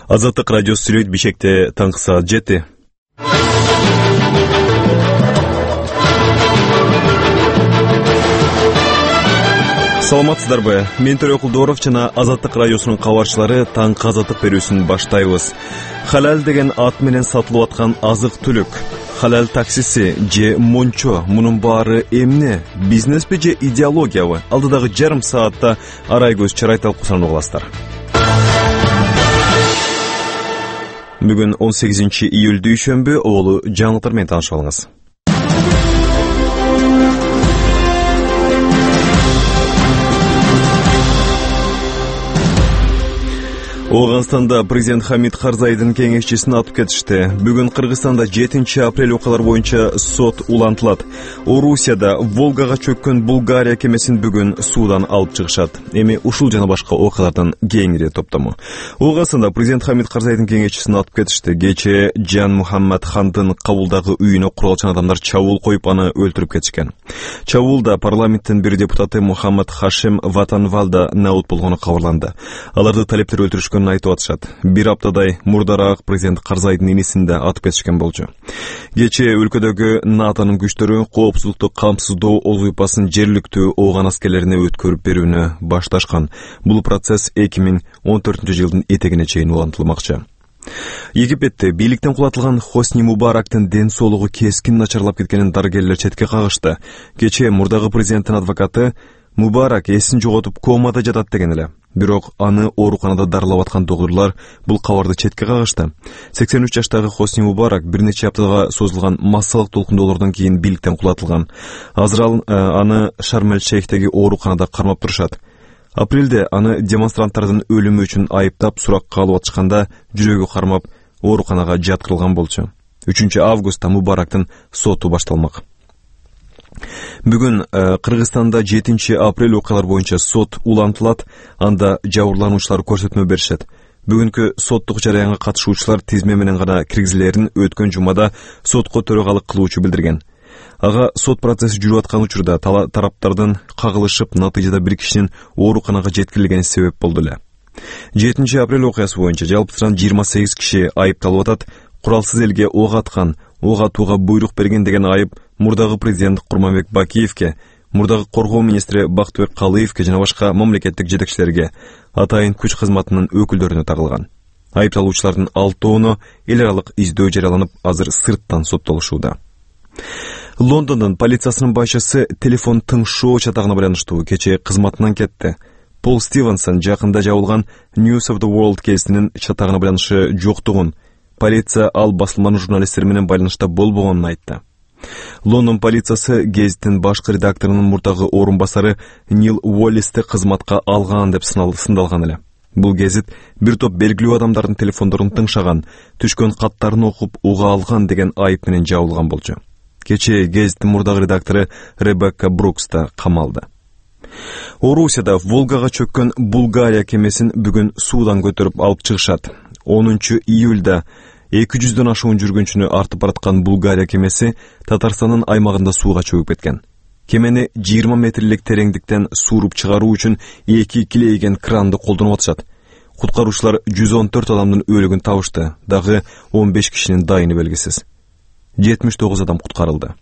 Азаттык радиосу сүйлөйт Бишкекте таңкы саат 7. Саламатсыздарбы? Мен Төрө Кулдоров жана Азаттык радиосунун кабарчылары таңкы азаттык берүүсүн баштайбыз. Халал деген ат менен сатылып аткан азык-түлүк, халал таксиси же мончо, мунун баары эмне? Бизнеспи же идеологиябы? Алдыдагы жарым саатта арай көз чарай талкуусун угасыздар. Бүгүн 18 июль дүйшөмбү, оолу жаңылыктар менен таанышып алыңыз. Оганстанда президент Хамид Карзайдын кеңешчисин атып кетишти. Бүгүн Кыргызстанда 7 апрель окуялар боюнча сот улантылат. Орусияда Волгага чөккөн Булгария кемесин бүгүн суудан алып чыгышат. Эми ушул жана башка окуялардан кеңири топтому. Оганстанда президент Хамид Карзайдын кеңешчисин атып кетишти. Кечээ Жан Мухаммад Хандын кабулдагы үйүнө куралчан адамдар чабуул коюп аны өлтүрүп кетишкен. Чабуулда парламенттин бир депутаты Мухаммад Хашим Ватанвалда наут болгону кабарланды. Аларды талептер өлтүрүшкөн айтып атышат. Бир аптадай мурдараак президент Карзайдын инисин да атып кетишкен болчу. Кечээ өлкөдөгү НАТОнун күчтөрү коопсуздукту камсыздоо ОЗУПасын жергиликтүү ооган аскерлерине өткөрүп берүүнү башташкан. Бул процесс 2014-жылдын этегине чейин улантылмакчы. Египетте бийликтен кулатылган Хосни Мубарактын ден соолугу кескин начарлап кеткенин дарыгерлер четке кагышты. Кечээ мурдагы президенттин адвокаты Мубарак эсин жоготуп комада жатат деген эле. Бирок аны ооруканада дарылап аткан доктурлар бул кабарды четке кагышты. 83 жаштагы Хосни Мубарак бир нече аптага созулган массалык толкундоолордон кийин бийликтен кулатылган. Азыр аны Шарм-эль-Шейхтеги ооруканада кармап турушат. Апрелде аны демонстранттардын өлүмү үчүн айыптап суракка алып атышканда жүрөгү кармап ооруканага жаткырылган болчу. 3 августта Мубарактын соту башталмак. Бүгүн Кыргызстанда 7 апрель окуялар боюнча сот улантылат, анда жабырлануучулар көрсөтмө беришет. Бүгүнкү соттук жараянга катышуучулар тизме менен гана киргизилерин өткөн жумада сотко төрагалык кылуучу билдирген. Ага сот процесси жүрүп аткан учурда тараптардын кагылышып, натыйжада бир кишинин ооруканага жеткирилгени себеп болду эле. 7 апрель окуясы боюнча жалпысынан 28 киши айыпталып атат. Куралсыз элге ок аткан, ок атууга буйрук берген деген айып мурдагы президент Курманбек Бакиевке, мурдагы коргоо министри Бактыбек Калыевке жана башка мамлекеттик жетекчилерге, атайын күч кызматынын өкүлдөрүнө тагылган. Айыпталуучулардын 6-оону эл аралык издөө жарыяланып, азыр сырттан соттолушууда. Лондондун полициясынын башчысы телефон тыңшоо чатагына байланыштуу кечээ кызматынан кетти. Пол Стивенсон жакында жабылган News of the World кейсинин чатагына байланышы жоктугун, полиция ал басылманын журналисттер менен байланышта болбогонун айтты. Лондон полициясы гезиттин башкы редакторунун мурдагы орун басары Нил Уоллисти кызматка алган деп сындалган эле. Бул гезит бир топ белгилүү адамдардын телефондорун тыңшаган, түшкөн каттарын окуп уга алган деген айып менен жабылган болчу. Кечээ гезиттин мурдагы редактору Ребекка Брукс да камалды. Орусияда Волгага чөккөн Булгария кемесин бүгүн суудан көтөрүп алып чыгышат. 10 июлда 200дөн ашуун жүргүнчүнү артып бараткан Булгария кемеси Татарстандын аймагында сууга чөгүп кеткен. Кемени 20 метрлик тереңдиктен сууруп чыгаруу үчүн 2 килейген кранды колдонуп атышат. Куткаруучулар 114 адамдын өлүгүн табышты, дагы 15 кишинин дайыны белгисиз. 79 адам куткарылды.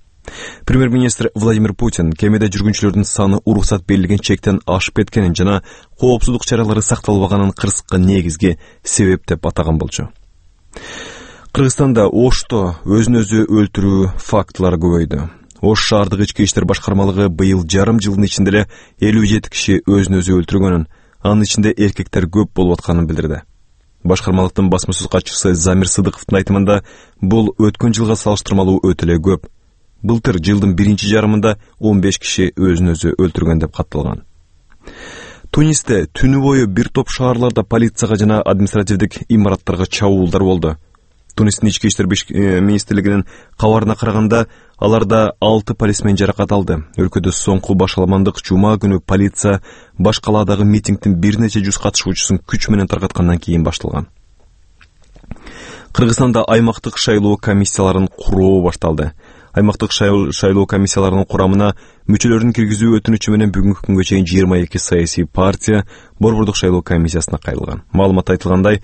Премьер-министр Владимир Путин кемеде жүргүнчүлөрдүн саны уруксат берилген чектен ашып кеткенин жана коопсуздук чаралары сакталбаганын кырсыкка негизги себеп деп атаган болчу. Кыргызстанда Ошто өзүн-өзү өлтүрүү фактылары көбөйдү. Ош шаардык ички иштер башкармалыгы быйыл жарым жылдын ичинде эле 57 киши өзүн-өзү өлтүргөнүн, анын ичинде эркектер көп болуп атканын билдирди. Башкармалыктын басма-сөз катчысы Замир Сыдыковдун айтымында бул өткөн жылга салыштырмалуу өтө эле көп. Былтыр жылдын биринчи жарымында 15 киши өзүн-өзү өлтүргөн деп катталган. Тунисте түнү бою бир топ шаарларда полицияга жана административдик имараттарга чабуулдар болду. Тунистин ички иштер министрлигинин кабарына караганда, аларда 6 полисмен жаракат алды. Өлкөдө соңку башаламандык жума күнү полиция баш калаадагы митингдин бир нече жүз катышуучусун күч менен таркаткандан кийин башталган. Кыргызстанда аймактык шайлоо комиссияларын куруу башталды. Аймактык шайлоо комиссияларынын курамына мүчөлөрүн киргизүү өтүнүчү менен бүгүнкү күнгө чейин 22 саясий партия борбордук шайлоо комиссиясына кайрылган. Маалыматта айтылгандай,